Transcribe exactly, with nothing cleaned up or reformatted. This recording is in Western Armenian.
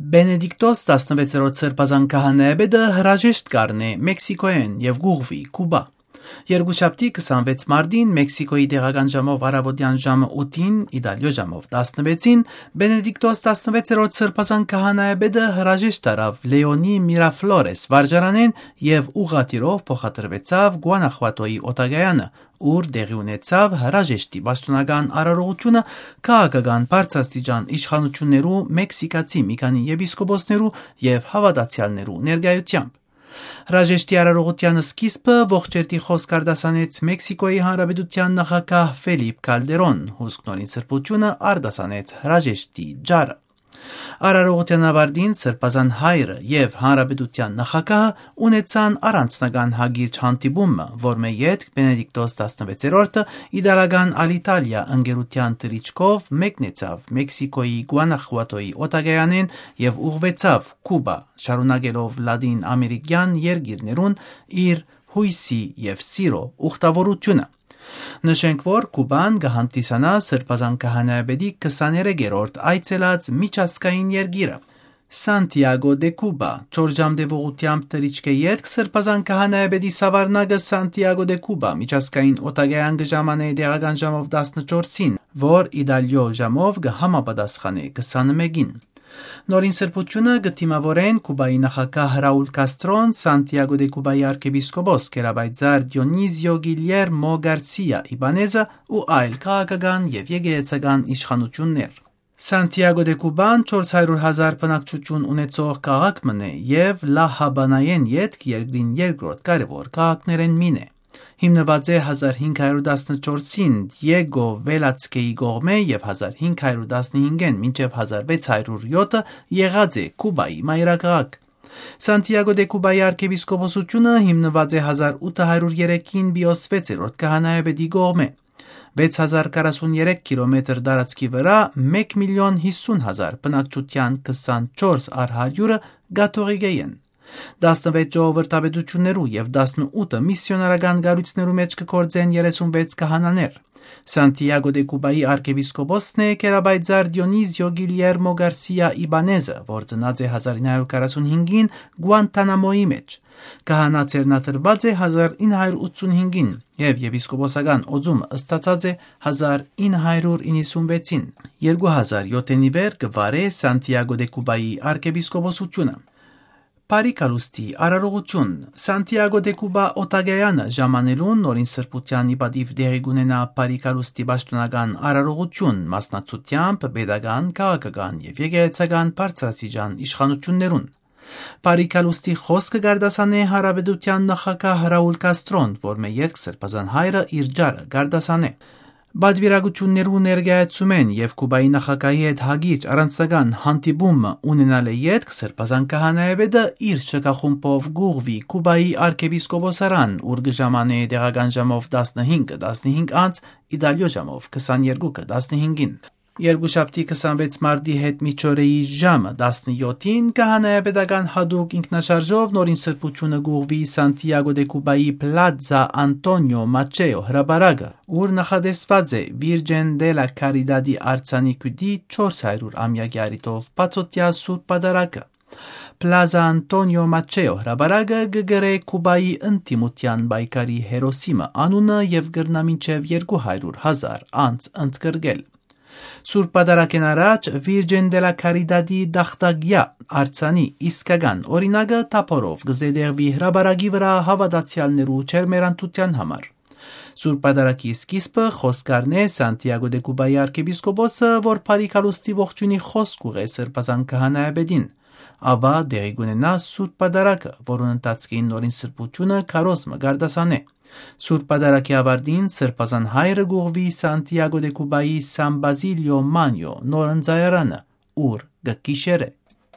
Բենեդիկտոս տասնվեցերորդ սրբազան քահանայապետը հրաժեշտ կ'առնէ Մեքսիքոյէն եւ կ'ուղղուի Կուբա։ Երկուշաբթի քսանվեց մարտին Մեքսիքոյի տեղական ժամով առաւօտեան ժամը ութին, Իտալիոյ ժամով տասնվեցին, Բենեդիկտոս տասնվեցերորդ սրբազան քահանայապետը հրաժեշտ առաւ Լեոնի Միրաֆլորես վարժարանէն եւ ուղղաթիռով փոխադրուեցաւ Գուանախուատոյի օտակայանը, ուր տեղի ունեցաւ հրաժեշտի պաշտօնական արարողութիւնը քաղաքական բարձրաստիճան իշխանութիւններու, մեքսիքացի մի քանի եպիսկոպոսներու եւ հաւատացեալներու ներկայութեամբ։ Հրաժեշտի արարողութեան սկիզբը ողջերթի խօսք արտասանեց Մեքսիքոյի Հանրապետութեան նախագահ Ֆելիպ Կալդերոն, հուսկ նորին սրբութիւնը արտասանեց հրաժեշտի ջարը։ Արարողութեան աւարտին սրբազան հայրը եւ Հանրապետութեան նախագահը ունեցան առանձնական հագիրճ հանդիպումը, որմէ ետք Բենեդիկտոս տասնվեցերորդը իտալական Ալիտալիա ընկերութեան թռիչքով մեկնեցաւ Մեքսիքոյի Գուանախուատոյի օտակայանէն եւ ուղղուեցաւ Կուբա, շարունակելով Լատին Ամերիկեան երկիրներուն իր յոյսի եւ սիրո ուխտաւորութիւնը։ Նշենք, որ Կուբան կը հանդիսանայ սրբազան քահանայապետի քսաներեքերորդ այցելած միջազգային երկիրը։ Սանտիագո դե Կուբա, չորս ժամ տեւողութեամբ թռիչքէ ետք սրբազան քահանայապետի սաւառնակը Սանտիագո դե Կուբա միջազգային օտակայան կը ժամանէ տեղական ժամով տասնչորսին, որ Իտալիոյ ժամով կը համապատասխանէ քսանմէկին։ Նորին սրբութիւնը կը դիմաւորեն Կուբայի նախագահ Ռաուլ Կաստրոն, Սանտիագո դե Կուբայի արքեպիսկոպոս գերապայծառ Դիոնիզիո Գիլիերմո Գարսիա Իբանեզը ու այլ քաղաքական եւ եկեղեցական իշխանութիւններ։ Սանտիագո դե Կուբան չորս հարիւր հազար բնակչութիւն ունեցող քաղաք մըն է եւ Լա Հաբանայէն ետք երկրին երկրորդ կարեւոր քաղաքներէն մին է։ Հիմնուած է հազար հինգ հարիւր տասնչորսին Դիեգո Վելացքեի կողմէ եւ հազար հինգ հարիւր տասնհինգէն մինչեւ հազար վեց հարիւր յոթը եղած է Կուբայի մայրաքաղաք։ Սանտիագո դե Կուբայի արքեպիսկոպոսութիւնը հիմնուած է հազար ութը հարիւր երեքին Պիոս վեցերորդ քահանայապետի կողմէ։ Վեց հազար քառասուն երեք կիլոմետր տարածքի վրայ մէկ միլիոն յիսուն հազար բնակչութեան քսանչորս առ հարիւրը կաթողիկէ են։ Տասնվեց ժողովրդապետութիւններու եւ տասնութը միսիոնարական կառոյցներու մէջ կը գործեն երեսունվեց քահանաներ։ Սանտիագո դե Կուբայի արքեպիսկոպոսն է գերապայծառ Դիոնիզիո Գիլիերմո Գարսիա Իբանեզը, որ ծնած է հազար ինը հարիւր քառասուն հինգին Գուանթանամոյի մէջ։ Քահանայ ձեռնադրուած է հազար ինը հարիւր ութսուն հինգին եւ եպիսկոպոսական օծումը ստացած է հազար ինը հարիւր իննսունվեցին։ Երկու հազար յոթին ի վեր կը վարէ Սանտիագո դե Կուբայի արքեպիսկոպոսութիւնը։ Բարի գալուստի արարողութիւն։ Սանտիագո դե Կուբա օտակայանը ժամանելուն նորին սրբութեան ի պատիւ տեղի կ'ունենայ բարի գալուստի պաշտօնական արարողութիւն, մասնակցութեամբ պետական, քաղաքական եւ եկեղեցական բարձրաստիճան իշխանութիւններուն։ Բարի գալուստի խօսքը կ'արտասանէ Հանրապետութեան նախագահ Ռաուլ Կաստրոն, որմէ ետք սրբազան հայրը իր ջարը կ'արտասանէ։ Պատուիրակութիւններու ներկայացումէն եւ Կուբայի նախագահի հետ հագիրճ առանձնական հանդիպումը ունենալէ ետք սրբազան քահանայապետը իր շքախումբով կ'ուղղուի Կուբայի արքեպիսկոպոսարան, ուր կը ժամանէ տեղական ժամով տասնհինգը տասնհինգ անց, Իտալիոյ ժամով քսաներկուքը տասնհինգին։ Երկուշաբթի քսանվեց մարտի հետ միջօրեի ժամը տասնյոթին քահանայապետական յատուկ ինքնաշարժով նորին սրբութիւնը կ'ուղղուի Սանտիագո դե Կուբայի Պլազա Անտոնիո Մաչեո հրապարակը, ուր նախատեսուած է Վիրջեն դե լա Քարիդադի արձանի գիւտի չորս հարիւր ամեակի առիթով բացօթեայ սուրբ պատարագը։ Պլազա Անտոնիո Մաչեո հրապարակը կը կրէ Կուբայի ընդդիմութեան պայքարի հերոսի մը անունը եւ կրնայ մինչեւ երկու հարիւր հազար անց ընդգրկել։ Սուրբ պատարագէն առաջ Վիրջեն դե լա Քարիդադի տախտակեայ արձանի իսկական օրինակը թափօրով կը զետեղուի հրապարակի վրայ հաւատացեալներու ջերմեռանդութեան համար։ Սուրբ պատարագի սկիզբը խօսք կ'առնէ Սանտիագո դե Կուբայի արքեպիսկոպոսը, որ բարի գալուստի ողջոյնի խօսք կ'ուղղէ սրբազան քահանայապետին։ Ապա տեղի կ'ունենայ սուրբ պատարագը, որուն ընթացքին նորին սրբութիւնը քարոզ մը կ'արտասանէ։ Սուրբ պատարագի աւարտին սրբազան հայրը կ'ուղղուի Սանտիագո դե Կուբայի Սան Բազիլիո Մանիո նոր ընծայարանը, ուր կը գիշերէ։